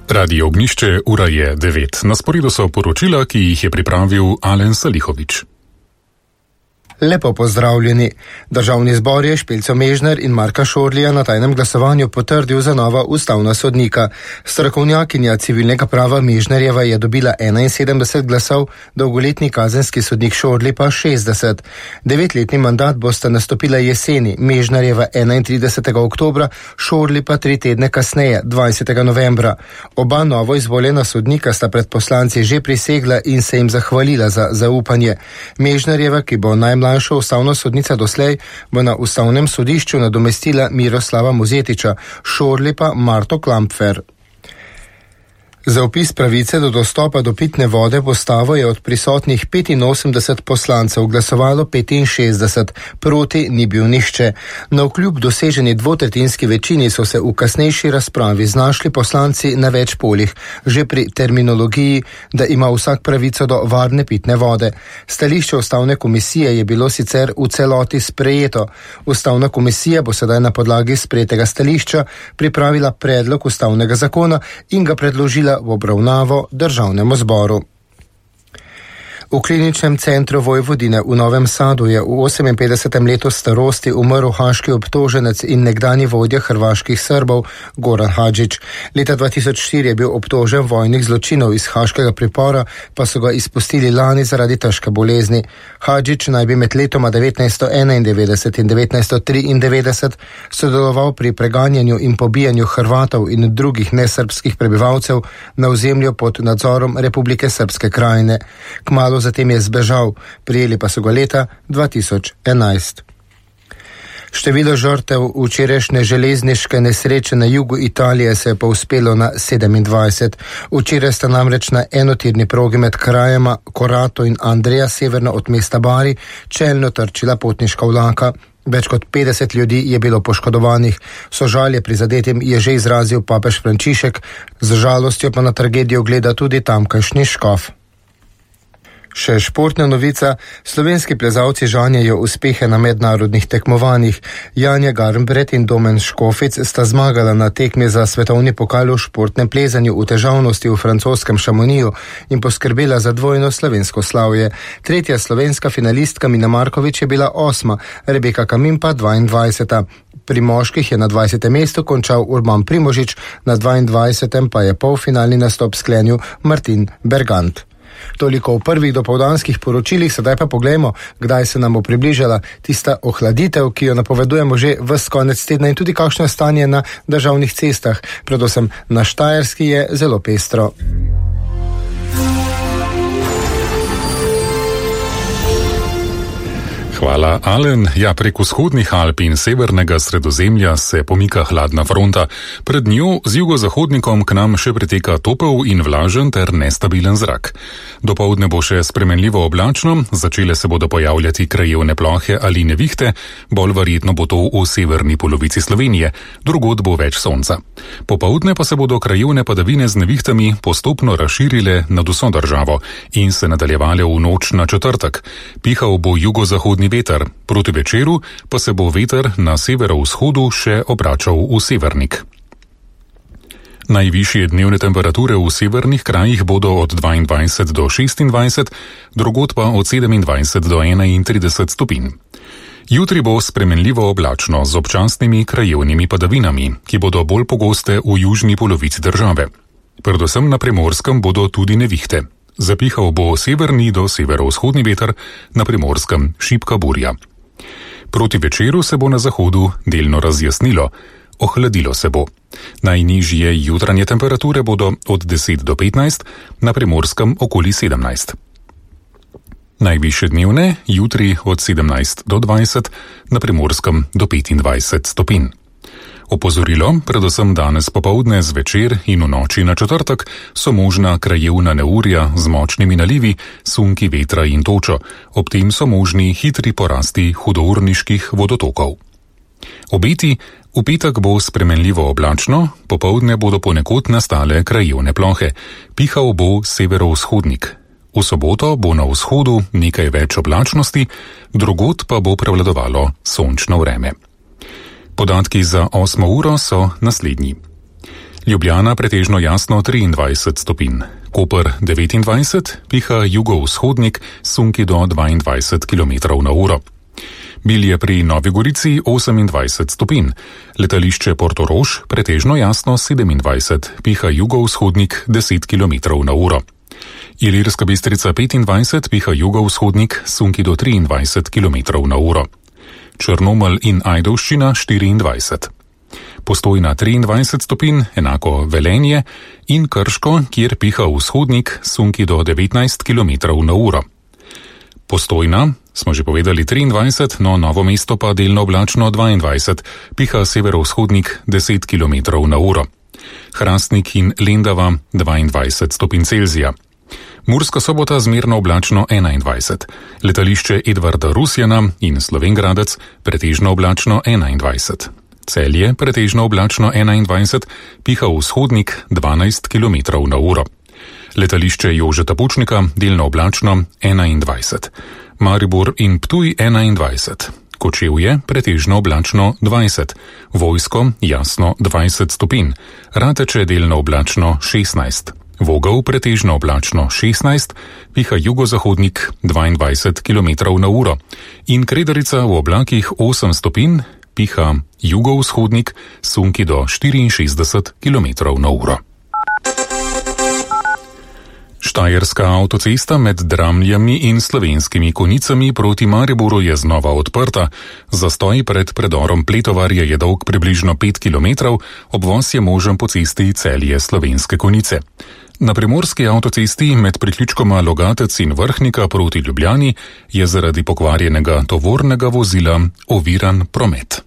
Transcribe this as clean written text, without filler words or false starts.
Radio Ognjišče, ura je 9. Na sporedu so poročila, ki jih je pripravil Alen Salihovič. Lepo pozdravljeni. Državni zbor je Špelco Mežner in Marka Šorlija na tajnem glasovanju potrdil za nova ustavna sodnika. Strokovnjakinja civilnega prava Mežnerjeva je dobila 71 glasov, dolgoletni kazenski sodnik Šorli pa 60. 9-letni mandat bosta nastopila jeseni, Mežnerjeva 31. oktobra, Šorli pa 3 tedne kasneje, 20. novembra. Oba novo izvoljena sodnika sta pred poslanci že prisegla in se jim zahvalila za zaupanje. Mežnerjeva, ki bo najmlajša ustavna sodnica doslej, bo na ustavnem sodišču nadomestila Miroslava Mozetiča, Šorli pa Marto Klampfer. Za vpis pravice do dostopa do pitne vode v ustavo je od prisotnih 85 poslancev glasovalo 65, proti ni bil nihče. Navkljub doseženi dvotretjinski večini so se v kasnejši razpravi znašli poslanci na več poljih, že pri terminologiji, da ima vsak pravico do varne pitne vode. Stališče ustavne komisije je bilo sicer v celoti sprejeto. Ustavna komisija bo sedaj na podlagi sprejetega stališča pripravila predlog ustavnega zakona in ga predložila v obravnavo Državnemu zboru. V kliničnem centru Vojvodine v Novem Sadu je v 58. letu starosti umrl haaški obtoženec in nekdanji vodja hrvaških Srbov Goran Hadžić. Leta 2004 je bil obtožen vojnih zločinov iz haaškega pripora, pa so ga izpustili lani zaradi težke bolezni. Hadžić naj bi med letoma 1991 in 1993 sodeloval pri preganjanju in pobijanju Hrvatov in drugih nesrbskih prebivalcev na ozemlju pod nadzorom Republike Srpske krajine. Kmalu zatem je zbežal, prijeli pa so ga leta 2011. Število žrtev včerajšnje železniške nesreče na jugu Italije se je povzpelo na 27. Včeraj sta namreč na enotirni progi med krajema Corato in Andrea severno od mesta Bari čelno trčila potniška vlaka. Več kot 50 ljudi je bilo poškodovanih. Sožalje prizadetim je že izrazil papež Frančišek, z žalostjo pa na tragedijo gleda tudi tamkajšnji škof. Še športna novica, slovenski plezalci žanjejo uspehe na mednarodnih tekmovanjih. Janja Garnbret in Domen Škofic sta zmagala na tekmi za svetovni pokal v športnem plezanju v težavnosti v francoskem Šamoniju in poskrbela za dvojno slovensko slavje. Tretja slovenska finalistka Mina Markovič je bila 8., Rebeka Kamin pa 22. Pri moških je na 20. mestu končal Urban Primožič, na 22. pa je polfinalni nastop sklenil Martin Bergant. Toliko v prvih dopoldanskih poročilih, sedaj pa poglejmo, kdaj se nam bo približala tista ohladitev, ki jo napovedujemo že ves konec tedna in tudi kakšno stanje na državnih cestah, predvsem na Štajerski je zelo pestro. Hvala, Alen. Ja, prek vzhodnih Alp in severnega Sredozemlja se pomika hladna fronta. Pred njo z jugozahodnikom k nam še priteka topel in vlažen ter nestabilen zrak. Dopoldne bo še spremenljivo oblačno, začele se bodo pojavljati krajevne plohe ali nevihte, bolj verjetno bo to v severni polovici Slovenije, drugod bo več sonca. Popoldne pa se bodo krajevne padavine z nevihtami postopno razširile nad vso državo in se nadaljevale v noč na četrtek. Pihal bo jugozahodni veter, proti večeru pa se bo veter na severovzhodu še obračal v severnik. Najvišje dnevne temperature v severnih krajih bodo od 22 do 26, drugod pa od 27 do 31 stopinj. Jutri bo spremenljivo oblačno z občasnimi krajevnimi padavinami, ki bodo bolj pogoste v južni polovici države. Predvsem na Primorskem bodo tudi nevihte. Zapihal bo severni do severovzhodni veter, na Primorskem šibka burja. Proti večeru se bo na zahodu delno razjasnilo, ohladilo se bo. Najnižje jutranje temperature bodo od 10 do 15, na Primorskem okoli 17. Najvišje dnevne jutri od 17 do 20, na Primorskem do 25 stopinj. Opozorilo, predvsem danes popoldne zvečer in v noči na četrtek, so možna krajevna neurja z močnimi nalivi, sunki vetra in točo, ob tem so možni hitri porasti hudourniških vodotokov. Obeti, v petek bo spremenljivo oblačno, popoldne bodo ponekod nastale krajevne plohe, pihal bo severovzhodnik. V soboto bo na vzhodu nekaj več oblačnosti, drugod pa bo prevladovalo sončno vreme. Podatki za 8. uro so naslednji. Ljubljana pretežno jasno 23 stopinj. Koper 29, piha jugovzhodnik, sunki do 22 km/h. Bilje pri Novi Gorici 28 stopinj. Letališče Portorož pretežno jasno 27, piha jugovzhodnik 10 km/h. Ilirska Bistrica 25, piha jugovzhodnik, sunki do 23 km/h. Črnomelj in Ajdovščina 24. Postojna 23 stopinj, enako Velenje, in Krško, kjer piha vzhodnik, sunki do 19 km/h. Postojna, smo že povedali 23, no Novo mesto pa delno oblačno 22, piha severovzhodnik 10 km/h. Hrastnik in Lendava 22 stopinj Celzija. Murska Sobota zmerno oblačno 21, letališče Edvarda Rusjana in Slovenj Gradec pretežno oblačno 21. Celje pretežno oblačno 21, piha vzhodnik 12 km/h. Letališče Jožeta Pučnika delno oblačno 21. Maribor in Ptuj 21. Kočevje pretežno oblačno 20. Vojsko jasno 20 stopinj. Rateče delno oblačno 16. Vogel pretežno oblačno 16, piha jugozahodnik 22 km/h. In Kredarica v oblakih 8 stopinj, piha jugovzhodnik, sunki do 64 km/h. Štajerska avtocesta med Dramljami in Slovenskimi Konjicami proti Mariboru je znova odprta. Zastoj pred predorom Pletovarje je dolg približno 5 km, obvoz je možen po cesti Celje Slovenske Konjice. Na primorski avtocesti med priključkoma Logatec in Vrhnika proti Ljubljani je zaradi pokvarjenega tovornega vozila oviran promet.